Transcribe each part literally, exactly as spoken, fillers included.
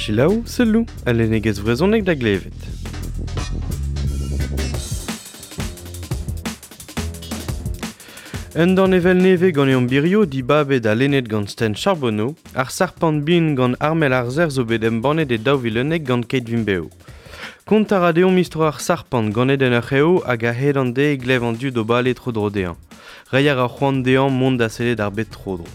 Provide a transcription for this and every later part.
Selaou, selloù, al lennegezh vrezhonek da glevet. Un danevell nevez gant birio dibabet ha lennet gant Sten Charbonneau, ar sarpant bihan gant Armel ar Sec'h zo bet embannet e daou vil unnek gant Keit Vimp Bev. Kont a ra deomp istor ar sarpant ganet en ur c'hev hag a-hed an deiz e glev an dud o bale tro-dro dezhañ. Reiñ a ra c'hoant dezhañ mont da sellet ar bed tro-dro.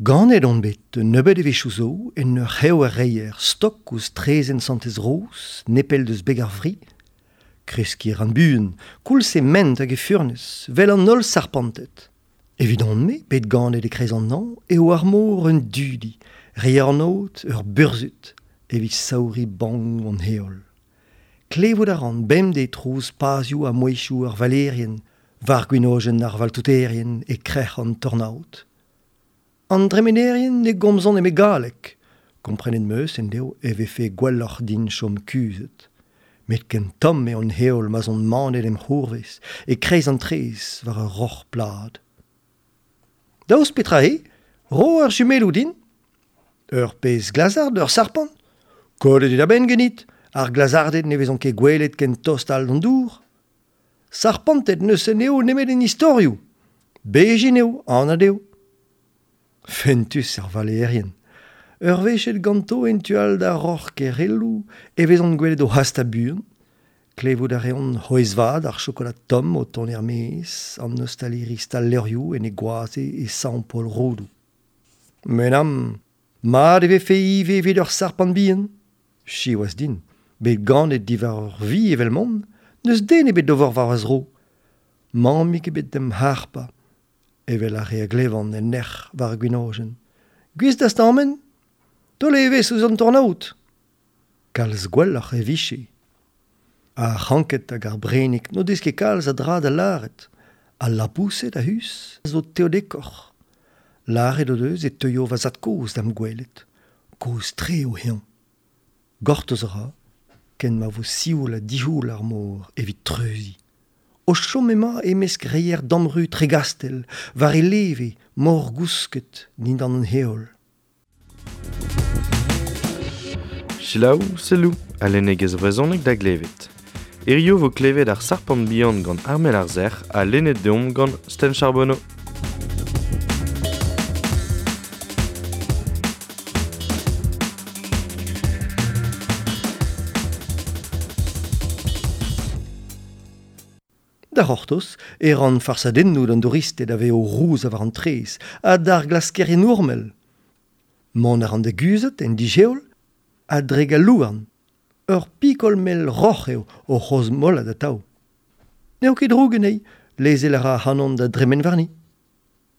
Ganet on bet nebeut evezhioù zo en ur c'hev ar reier stok ouzh traezhenn Santez-Roz, nepell deus beg ar Vri. Kreskiñ a ran buan, koulz e ment hag e furnez, 'vel an holl sarpanted. Evidon-me, bet ganet e-kreiz an hañv, eo ar mor un dudi, reier an aod ur burzhud, evit saouriñ bannoù an heol. Klevout a ran bemdez trouz pazioù ha mouezhioù ar valerien, war gwenojenn ar valtouterien e krec'h an tornaod. An dremenerien ne gomzont nemet galleg. Komprenet 'm eus endeo e vefe gwelloc'h din chom kuzhet. Met ken tomm eo an heol ma'z on manet em c'hourvez, e-kreiz an traezh war ur roc'h plat. Daoust petra eo, ro ar jumelloù din. Ur pezh glazard, ur sarpant. Kollet eo da benn ganit, ar glazarded ne vezont ket gwelet ken tost all d'an dour. Sarpanted n'eus anezho nemet en istorioù. Bezhin eo, anat eo. Fentus ar valerien. Ur wech aet ganto en tu all d'ar roc'h kerelloù e vezont gwelet o hastañ buan. Klevout a reont c'hwezh-vat ar chokolad tomm o tont er-maez, an ostaliri stal-levrioù en e goaze e Sant-Paol-Rodoù. Met am, mat e vefe ivez evit ur sarpant bihan. Siwazh din, bet ganet diwar ur vi evel m'on, n'eus den ebet d'ober war va zro. Mammig ebet d'em harpañ. Evel ar re a glevan en nec'h war ar gwenojenn. Gouest da stammen ? Taol evezh ouzh an tornaod. Kalz gwelloc'h e vije. Ar c'hranked hag ar brennig n'o deus ket kalz a dra da lâret. Al laboused a-us zo teodekoc'h. Lâret o deus e teuio va zad-kozh da'm gwelet. Kozh-tre eo eñ. Gortoz a ra, ken ma vo sioul ha dic'houl ar mor evit treuziñ. O chom emañ e-mesk reier damru Tregastel, war e leve, morgousket dindan an heol. Selaou, selloù, al lennegezh vrezhonek da glevet. Hiziv vo klevet ar sarpant bihan gant Armel ar Sec'h ha lennet deomp gant Sten Charbonneau. Da c'hortoz e ran farsadennoù d'an douristed a vez o rouzañ war an traezh ha d'ar glaskerien ourmel. Mont a ran da guzhat en disheol a-drek al louarn. Ur pikol mell roc'h eo o c'hrozmolat atav. N'eo ket droug anezhi, lezel a ra ac'hanon da dremen warni.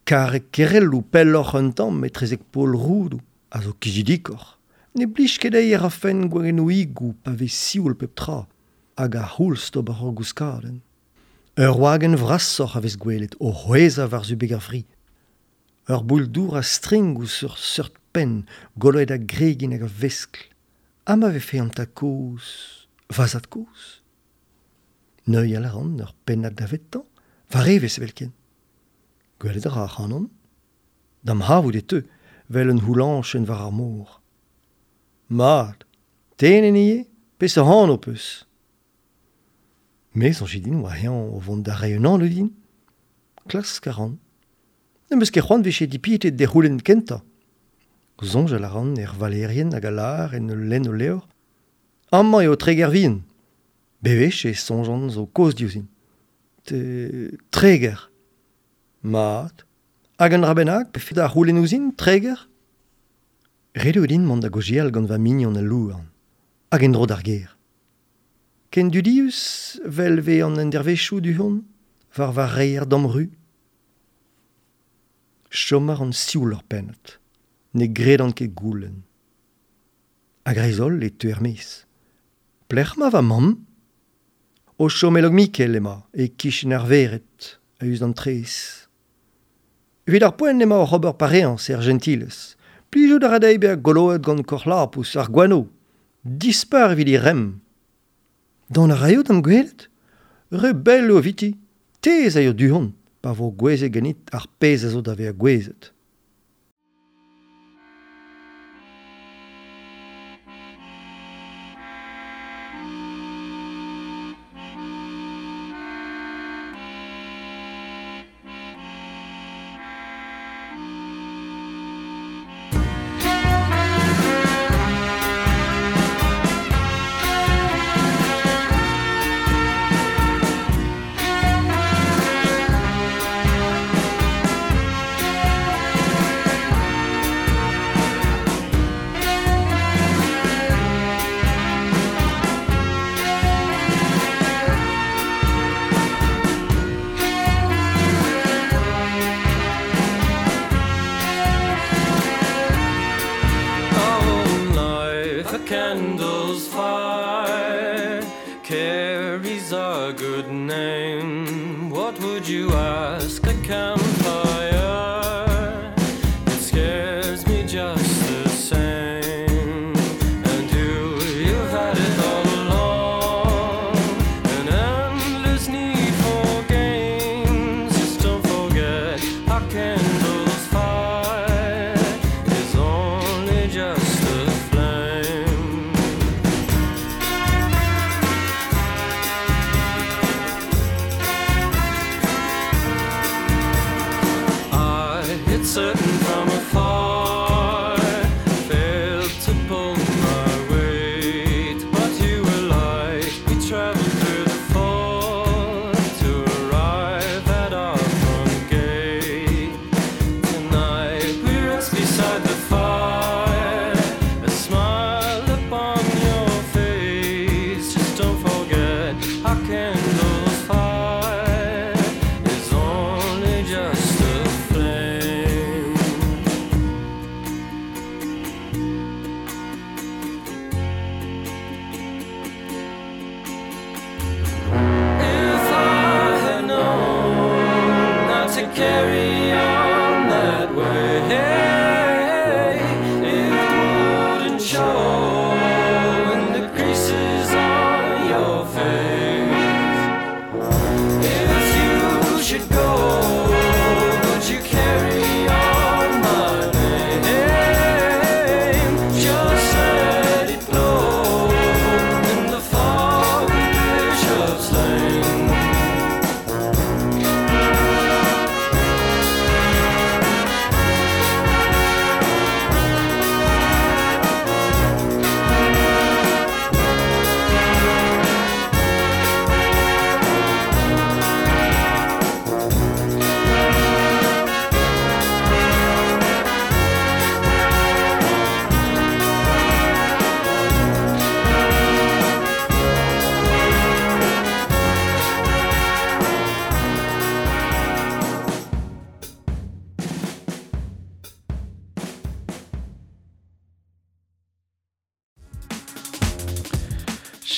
Karreg kerelloù pelloc'h un tamm etrezek pol Roudoù a zo kizidikoc'h. Ne blij ket dezhi e rafen gwagennoùigoù pa vez sioul pep tra hag ar c'houlz d'ober ur gouskadenn. Ur wagenn vrasoc'h a vez gwelet o c'hwezhañ war-zu beg ar Vri. Ur boull-dour a strink ouzh ur seurt penn goloet a gregin hag a veskl. Ha ma vefe an tad-kozh, va zad-kozh. Neuial a ran ur pennad davetañ, war evezh evelkent. Gwelet a ra ac'hanon. Da'm c'havout e teu, 'vel un c'houlañchenn war ar mor. Mat, te en hini eo, peseurt anv 'peus ? Me soñj din oa eñ o vont da reiñ un anv din. Klask a ran. N'em eus ket c'hoant 'vije dipitet d'e c'houlenn kentañ. Soñjal a ran er valerien hag a lâr en ul lenn o levr. Amañ eo Treger vihan. Bewech e soñjan zo kozh diouzhin. Te... Treger. Mat. Hag un dra bennak 'pefe da c'houlenn ouzhin, Treger ? Ret eo din mont da gaozeal gant va mignon al louarn. Hag en-dro d'ar gêr. Ken dudius 'vel 'vez an endervezhioù du-hont, war va reier damru. Chom a ran sioul ur pennad. Ne gredan ket goulenn. A-greiz-holl e teu er-maez. Pelec'h emañ va mamm ? O chom e Lokmikel emañ, e-kichen ar vered, a-us d'an traezh. Evit ar poent emañ oc'h ober pareañs er Jentilez. Plijout a ra dezhi bezañ goloet gant korlapous ar gwano. Dispar evit he remm. Dont a raio d'am gwelet ? Re bell eo eviti. Te ez aio du-hont, pa vo gouezet ganit ar pezh a zo da vezañ gouezet. Candle's fire carries a good name. What would you ask a campfire? It scares me just the same. And you, you've had it all along, an endless need for gains. Just don't forget our candle's fire is only just a flame. I hit certain from afar, failed to pull my weight, but you were light. We traveled through the fog to arrive at our front gate. Tonight we rest beside the fire, a smile upon your face. Just don't forget our candle's fire is only just a flame. If I had known not to carry on that way, it wouldn't show in the creases on your face. If you should go, would you carry on my name? Just let it blow in the fog of Bishop's Lane.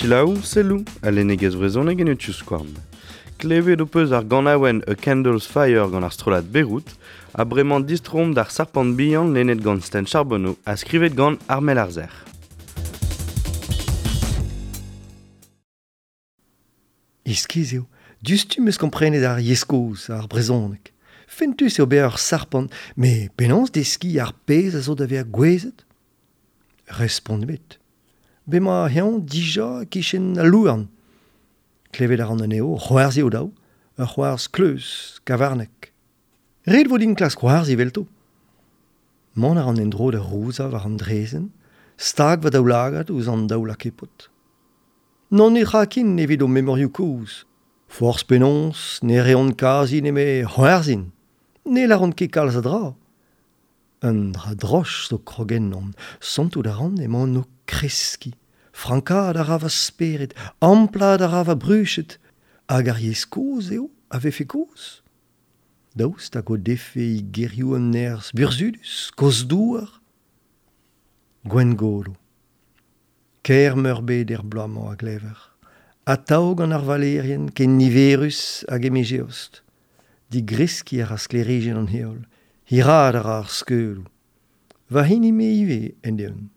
Selaou, selou, a lennegezh vrezhonek en eo Klevet ho peus ar ganaouenn A Candle's Fire gant ar strollad Beirut, ha bremañ distroomp d'ar sarpant bihan lennet gant Sten Charbonneau ha skrivet gant Armel Arzer. Iskis eo, diouzhtu 'm eus komprenet ar yezh kozh, ar brezhoneg. Fentus eo bezañ ur sarpant, met penaos deskiñ ar pezh a zo da vezañ gouezet ? Respont ebet. Bemañ eñ dija e-kichen al louarn. Klevet a ran anezho, c'hoarzhin o-daou, ur c'hoarzh kleuz, kavarnek. Ret vo din klask c'hoarzhin evelto. Mont a ran en-dro da rouzañ war an draezhenn, stag va daoulagad ouzh an daou lakepod. N'on netra ken evit o memorioù kozh. Forzh penaos, ne reont kazi nemet c'hoarzhin. Ne lâront ket kalz a dra. Un dra droch zo krog ennon, santout a ran emaon o kreskiñ. Frankaat a ra va spered, amplaat a ra va bruched. Hag ar yezh kozh eo a vefe kozh. Daoust hag o defe he gerioù an nerzh burzhudus, kozh-douar. Gwengolo. Kaer meurbet er bloaz-mañ a glever. Atav gant ar valerien ken niverus hag e miz Eost. Digreskiñ a ra sklêrijenn an heol. Hiraat a ra ar skeuloù. Va hini me ivez, end-eeun.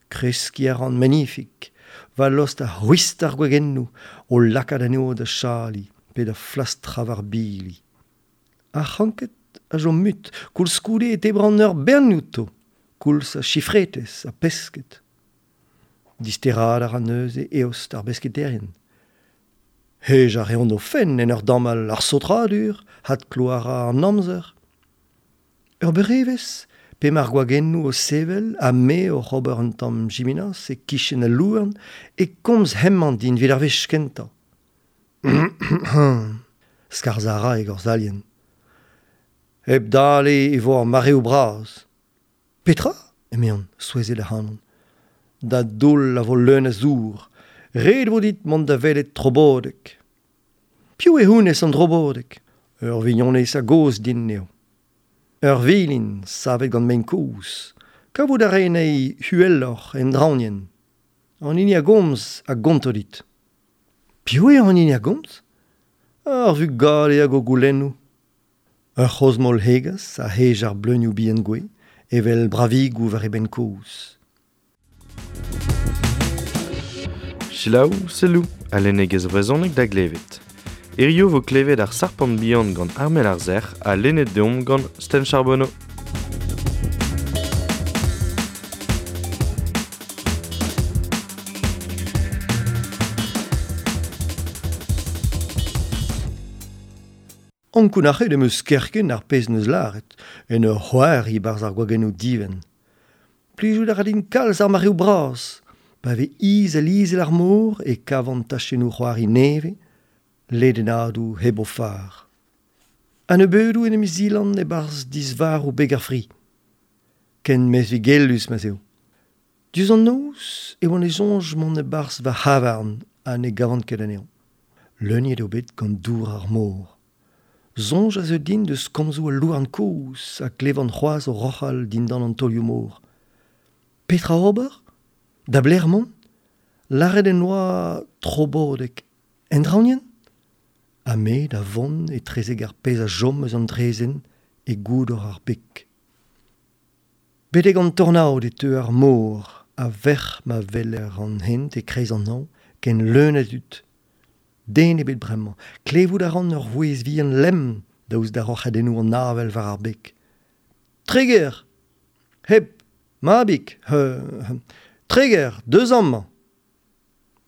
Kreskiñ a ran manifik. Va lost a c'hwist ar gwagennoù, o lakaat anezho da chaliñ, pe da flastrañ war bili. Ar c'hranked a chom mut, koulskoude e tebran ur bern outo, koulz ha chifretez ha pesked. Disteraat a ra neuze eost ar besketerien. Hej a reont o fenn en ur damall ar saotradur, hadkloarañ an amzer. Ur beurevez, p'emañ ar gwagennoù o sevel ha me oc'h ober un tamm jiminas e kichen al louarn e komz hemañ din evit ar wech kentañ. Skarzhañ a ra e gorzalien. Hep dale e vo ar mareoù bras. Petra ? Emeon, souezhet ac'hanon. Da doull a vo leun a zour. Ret vo dit mont da welet Trobodeg. Piv eo honnezh an Trobodeg ? Ur vignonez a-gozh din eo. Ur vilin savet gant mein kozh. Kavout a rae anezhi uheloc'h en draoñienn. An hini a gomz a gonto dit. Piv eo an hini a gomz ? Ar vugale hag o goulennoù. Ur c'hrozmol hegas a hej ar bleunioù bihan gouez, evel bravigoù war e benn kozh. Selaou, selloù, a lennegezh vrezhonek da glevet. Hirio vo klevet ar sarpant bihan gant Armel ar Sec'h ha lennet deomp gant Sten Charbonneau. Ankounac'het em eus kerkent ar pezh neus lâret, en ur c'hoari barzh ar gwagennoù divent. Plijout a ra din kalz ar mareoù bras. Pa vez izel-izel ar mor e kavan tachennoù c'hoari nevez, ledennadoù hep o far. A-nebeudoù en em zilan e-barzh disvarv beg ar fri. Ken mezvigellus ma'z eo. Diouzh an noz e oan e soñj mont e-barzh va c'havarn ha ne gavan ket anezhañ. Leuniet eo bet gant dour ar mor. Soñj a zeu din deus komzoù al louarn kozh ha klevan c'hoazh o roc'hal dindan an taolioù-mor. Petra ober ? Da belec'h mont ? Lâret en doa Trobodeg. En draoñienn ? Ha me da vont etrezek ar pezh a chom eus an draezhenn e goudor ar beg. Betek an tornaod e teu ar mor, a-vec'h ma weler an hent e-kreiz an hañv, ken leun a dud. Den ebet bremañ, klevout a ran ur vouezh vihan lemm daoust da roc'hadennoù an avel war ar beg. Treger ! Hep, mabig, euh, Treger, deus amañ !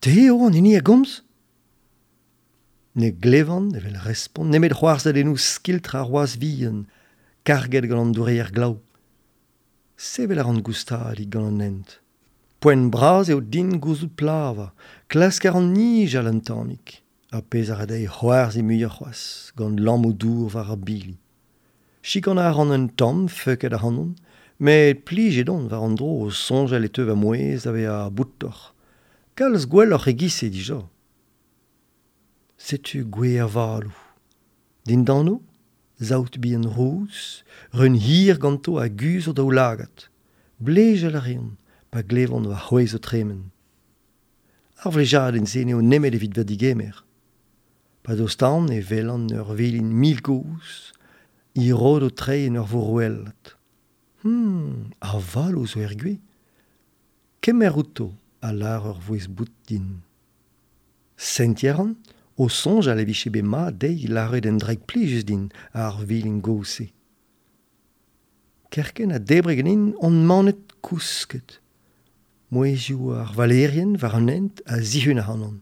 Te eo an hini a gomz ? Ne glevan, evel respont, nemet c'hoarzhadennoù skiltr ar wazh vihan, karget gant an doureier glav. Sevel a ran goustadik gant an hent. Poent bras eo din gouzout plavañ, klask a ran nijal un tammig, ar pezh a ra dezhi c'hoarzhin muioc'h c'hoazh, gant lammoù dour war ar bili. Chikanañ a ran un tamm feuket ac'hanon, met plijet on war an dro o soñjal e teu va mouezh da vezañ boutoc'h. Kalz gwelloc'h e-giz-se dija. Setu gwez avaloù. Dindano, saout bihan rouz, reun hir ganto a guzh o daoulagad. Blejal a reont, pa glevont va c'hwezh o tremen. Ar vlejadenn-se n'eo nemet evit va digemer. Pa dostaan e welan ur vilin mil gozh, he rod o treiñ en ur vorouellat. Hmm, avaloù zo er gwez. Kemer outo, a lâr ur vouezh bout din. Sentiñ a ran, o soñjal e vije bet mat dezhi lâret un draig plijus din ar vilin gozh-se. Kerkent ha debret ganin on manet kousket. Mouezhioù ar valerien war an hent a zihun ac'hanon.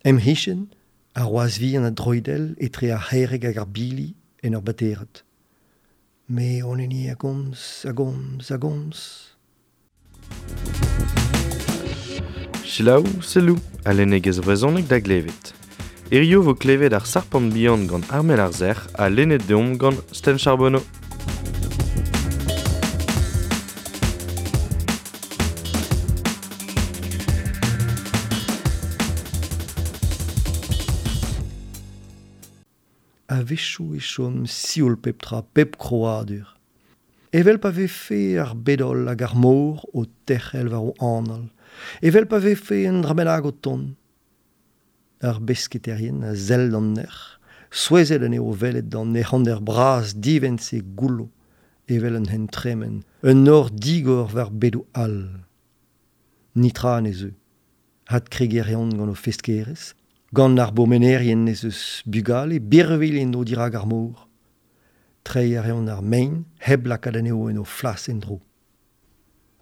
Em c'hichen, ar wazh vihan a droidell etre ar c'herreg hag ar bili en ur baterad. Me on hini a gomz, a gomz, a gomz. Selaou, selloù, a lennegezh vrezhonek da glevet. Hirio vo klevet ar sarpant bihan gant Armel ar Sec'h ha lennet deomp gant Sten Charbonneau. A-wechoù e chom sioul pep tra, pep krouadur. Evel pa vefe ar bed-holl hag ar mor o terc'hel war o anal. Evel pa vefe un dra bennak o tont. Ar besketerien a sell d'an nec'h, Souezhet anezho o welet an ec'honder bras divent-se goullo, evel un hent tremen, un nor digor war bedoù all. Nitra ne zeu. Adkregiñ a reont gant o feskerezh, gant ar bourmenerien ez eus bugale birvilh en o dirak ar mor. Treiñ a reont ar mein hep lakaat anezho en o flas en-dro.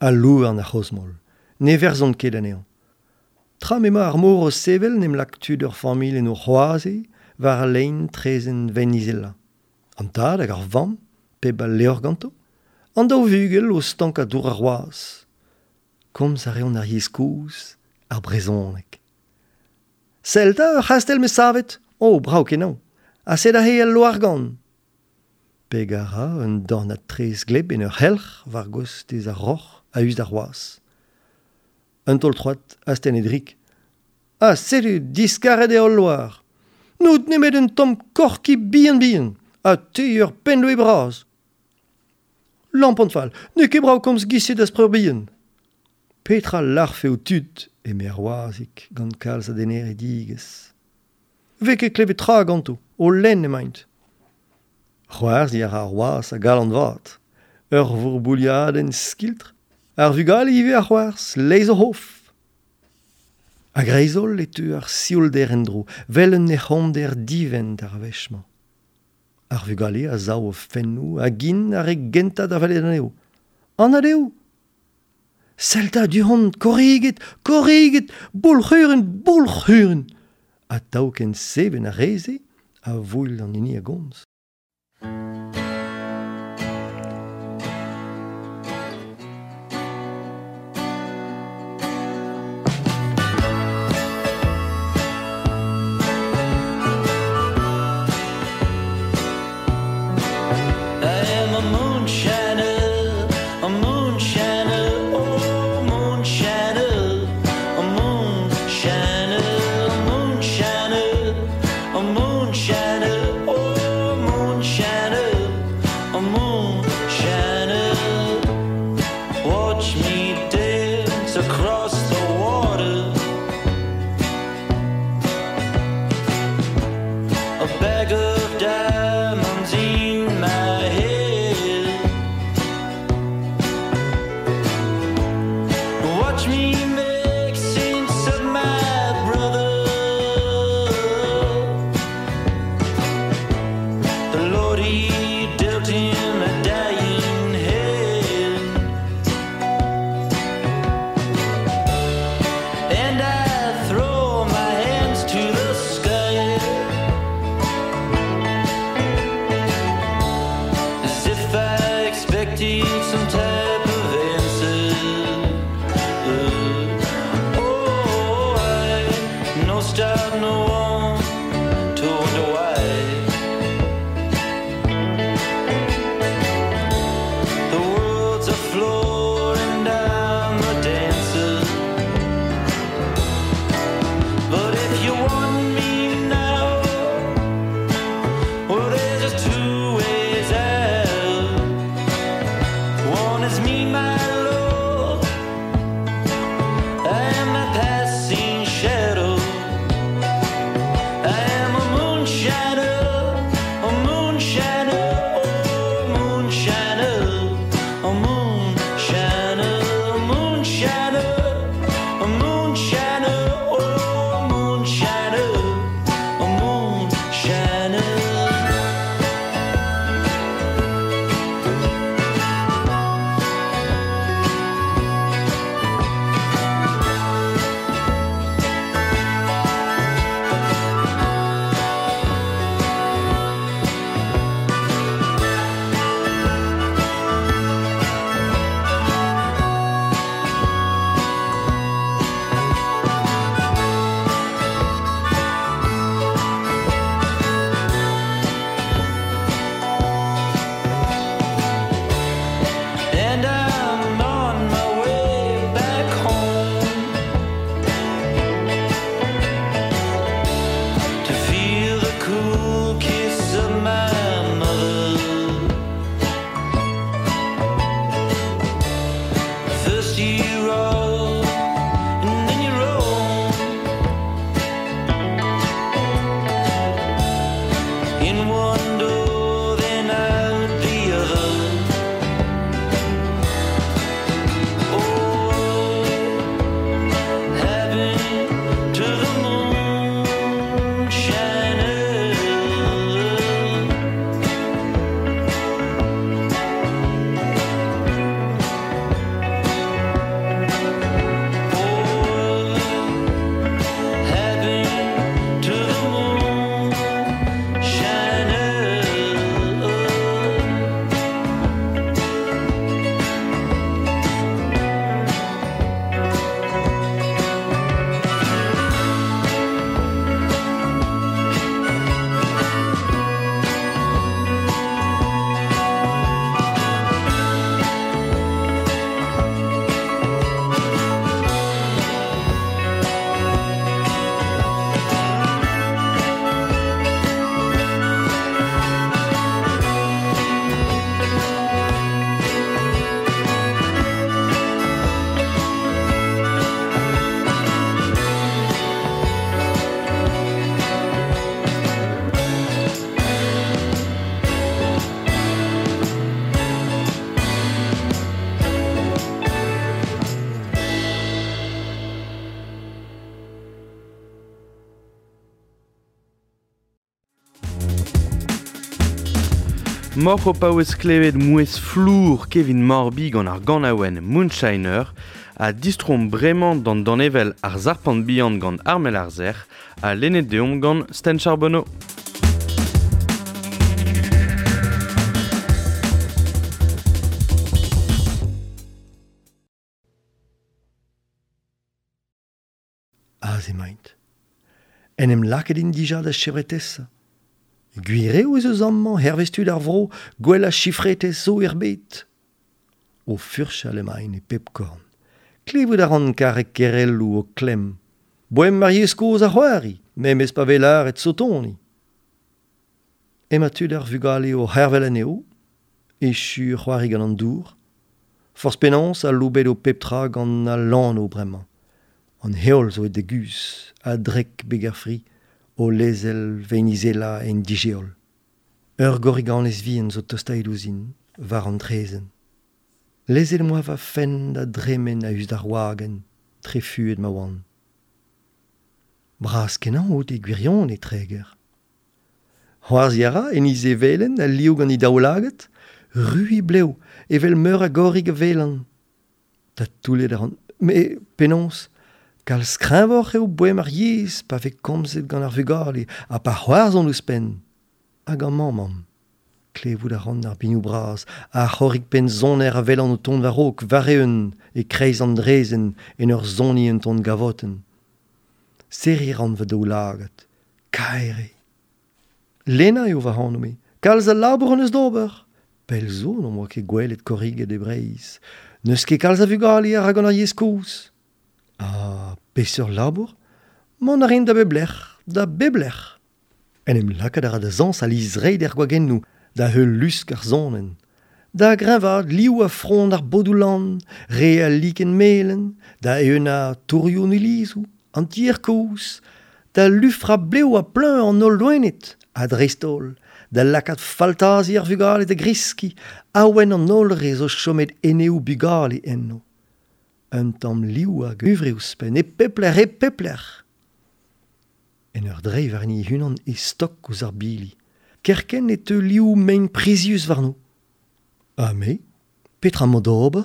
Al louarn ar c'hrozmol, ne verzont ket anezhañ. Tra m'emañ ar mor o sevel n'em lak tud ur familh en o c'hoaze war al lein traezhenn Venizela. An tad hag ar vamm, pep al levr ganto, an daou vugel o stankañ dour ar wazh. Komz a reont ar yezh kozh, ar brezhoneg. Sell 'ta ur c'hastell 'meus savet. Oh, brav kenañ. Ha sed aze al loargann. Peg a ra un dornad traezh gleb en ur c'helc'h war gostez ar roc'h a-us d'ar wazh. Un taol troad astennet rik. Ha setu diskaret eo al loar. N'out nemet un tamm korki bihan-bihan, ha te ur pennloe bras. Lampon fall, n'eo ket brav komz giz-se d'az preur bihan. Petra larfe ho tud, eme ar wazhig gant kalz a deneridigezh. Vez ket klevet tra ganto, o lenn emaint. C'hoarzhiñ a ra ar wazh a galon vat. Ur vourbouliadenn skiltr, ar vugale ivez a c'hoarzh, leizh o c'hof. A-greiz-holl e teu ar sioulder en-dro, 'vel un ec'honder divent ar wech-mañ. Ar vugale a sav o fennoù hag int ar re gentañ da welet anezho. Anat eo ! Sell 'ta du-hont, korriged, korriged, boulc'hurun, boulc'hurun ! Atav ken seven ar re-se a voull an hini a gomz. I am a moonshiner, a moonshiner, oh moonshiner, a moonshiner, a moonshiner, a moonshiner, oh moonshiner, a moonshiner. Watch me dance across the water. A bag of diamonds in my head. Watch me make sense of my brother. The Lord, he dealt him a dying hand. And I throw my hands to the sky, as if I expected some type of answer. Oh, I no stop, no one to wonder why. The world's a floor and I'm a dancer. But if you want me now, well, there's just two ways out. One is me, my Lord, I am a passing shadow. I am a moonshiner, a moonshiner, oh moonshiner, a moonshiner, a moonshiner, a moonshiner, oh moonshiner, a moonshiner. Moc'h o paouez klevet mouez flour Kevin Morby gant ar ganaouenn Moonshiner ha distrom bremañ d'an danevel ar zarpant bihan gant Armel Arzer ha lennet deomp gant Sten Charbonneau. Aze emaint. En em lakaet int dija da chevretez. Gwir eo ez eus amañ hervez tud ar vro gwell a chifretez zo er bed. O furchal emaint e pep korn. Klevout a ran karreg kerelloù o klemm. Boem ar yezh kozh a c'hoari, memes pa vez lâret sotoni. Emañ tud ar vugale o c'hervel anezho, echu c'hoari gant an dour. Forzh penaos aloubet o pep tra gant al lanv bremañ. An heol zo e deguz, a-drek beg ar fri, o lezel venizela en digeol. Ur gorriganez vihan zo tostaet ouzhin, war an traezhenn. Lezel moa va fenn da dremen a-us d'ar wagenn, trefuet ma oan. Bras kenañ out e gwirionez, Treger. C'hoarzhiñ a ra en he zevelen al liv gant he daoulagad, ru he blev, evel meur a gorrig a welan. Ta toullet a ran, me penaos, kalz kreñvoc'h eo boem ar yezh pa vez komzet gant ar vugale ha pa c'hoarzhont ouzhpenn. Hag amañ mamm. Klevout a ran ar binoù bras, ar c'horrig penn soner a welan o tont war-raok, war-eeun, e-kreiz an draezhenn, en ur soniñ un ton gavotenn. Serriñ ran va daoulagad. Kaer eo. Lena eo va anv-me. Kalz a labour hon eus d'ober. Pell zo n'am boa ket gwelet korriged e Breizh. N'eus ket kalz a vugale a ra gant ar yezh kozh. Ah, peseurt labour? Mont a rin da bep lec'h, da bep lec'h. En em lakaat a ra da zañsal he zreid er gwagennoù, da heul lusk ar sonenn. Da greñvaat liv ha frond ar bodoù-lann, re al likenn melen, da eeunañ tourioù an ilizoù, an tier kozh, da lufrañ blev ha pluñv an holl loened, ha dreist-holl, da lakaat faltazi ar vugale da greskiñ, awen an holl re zo chomet eneoù bugale enno. Un tamm liv hag huñvre ouzhpenn, e pep lec'h, e pep lec'h. En ur dreiñ warni he-unan e stok ouzh ar bili. Kerkent e teu liv mein prizius warno. Ha me, petra 'mañ d'ober?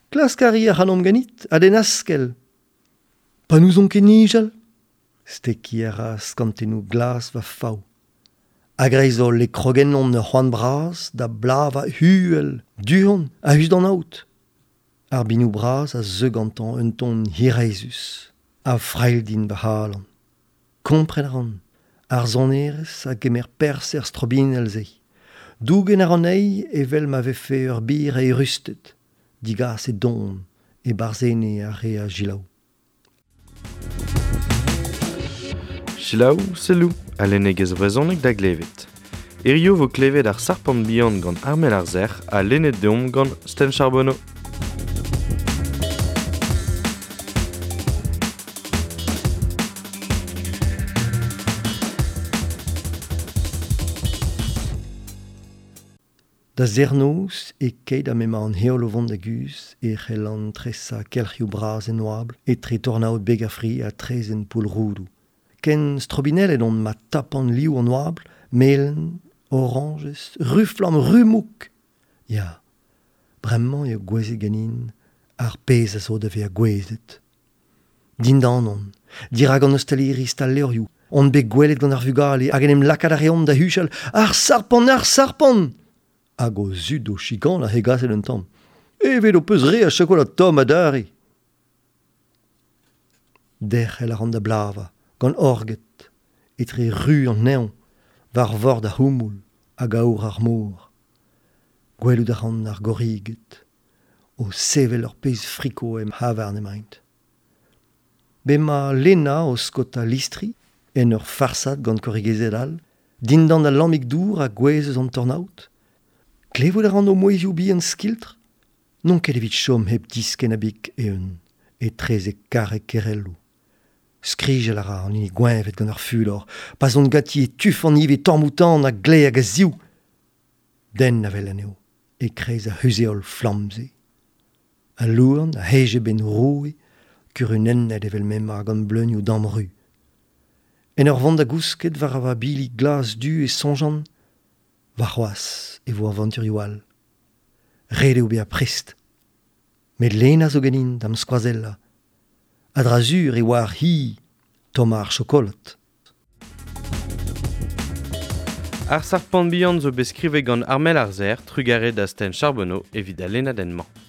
Klask a ri ac'hanomp ganit, ha d'en askell. Pa n'ouzon ket nijal. Stekiñ a ra skantennoù glas va fav. A-greiz-holl e krog ennon ur c'hoant bras da blavañ uhel, du-hont, a-us d'an aod. Ar binoù bras a zeu gantañ un ton hiraezhus, a frailh din va c'halon. Kompren a ran, ar sonerezh a gemer perzh er strobinell-se. Dougen a ran anezhi evel ma vefe ur bir eürusted, digas e don, e-barzh ene ar re a selaou. Selaou, selloù, a lennegezh vrezhonek da glevet. Hirio vo klevet ar sarpant bihan gant Armel Arzer ha lennet deomp gant Sten Charbonneau. Da zernoz e keit ha m'emañ an heol o vont da guzh e c'hellan tresañ kelc'hioù bras en oabl etre tornaod beg ar fri ha traezhenn Poull-Roudoù. Ken strobinellet on ma tapan liv an oabl, melen, orañjez, ru-flamm, ru-mouk. Ya, bremañ eo gouezet ganin ar pezh a zo da vezañ gouezet. Dindan on, dirak an ostaliri stal-levrioù, on bet gwelet gant ar vugale hag en em lakaat a reont da huchal ar sarpant, ar sarpant! Hag o zud o chikanañ hegaset un tamm. Evet ho peus re a chokolad tomm adarre. Derc'hel a ran da blavañ, gant orged, etre ru an neñv, war vord ar c'houmoul hag aour ar mor. Gwelout a ran ar gorriged, o sevel ur pezh friko em c'havarn emaint. Bemañ Lena o skaotañ listri, en ur farsad gant korrigezed all, dindan al lammig dour a gouezh eus an tornaod. Klevout a ran o mouezhioù bihan skiltr? N'on ket evit chom hep diskenn a-bik eeun, etrezek karreg Kerelloù. Skrijal a ra an hini gweñvet gant ar fulor, pa zon ganti e tufan ivez tamm-ouzh-tamm a-gleiz hag a-ziv. Den a wel anezho, e-kreiz ar c'huzh-heol flamm-se. Al louarn a hej e benn roue, kurunennet evel m'emañ gant bleunioù damru. En ur vont da gousket war va bili glas-du e soñjan, Warc'hoazh e vo avanturioù all. Ret eo bezañ prest. Met Lena zo ganin da'm skoazellañ. A-dra-sur e oar hi tommañ ar chokolad. Ar sarpant bihan zo bet skrivet gant Armel Arzer, trugarez da Sten Charbonneau evit al lennadenn-mañ.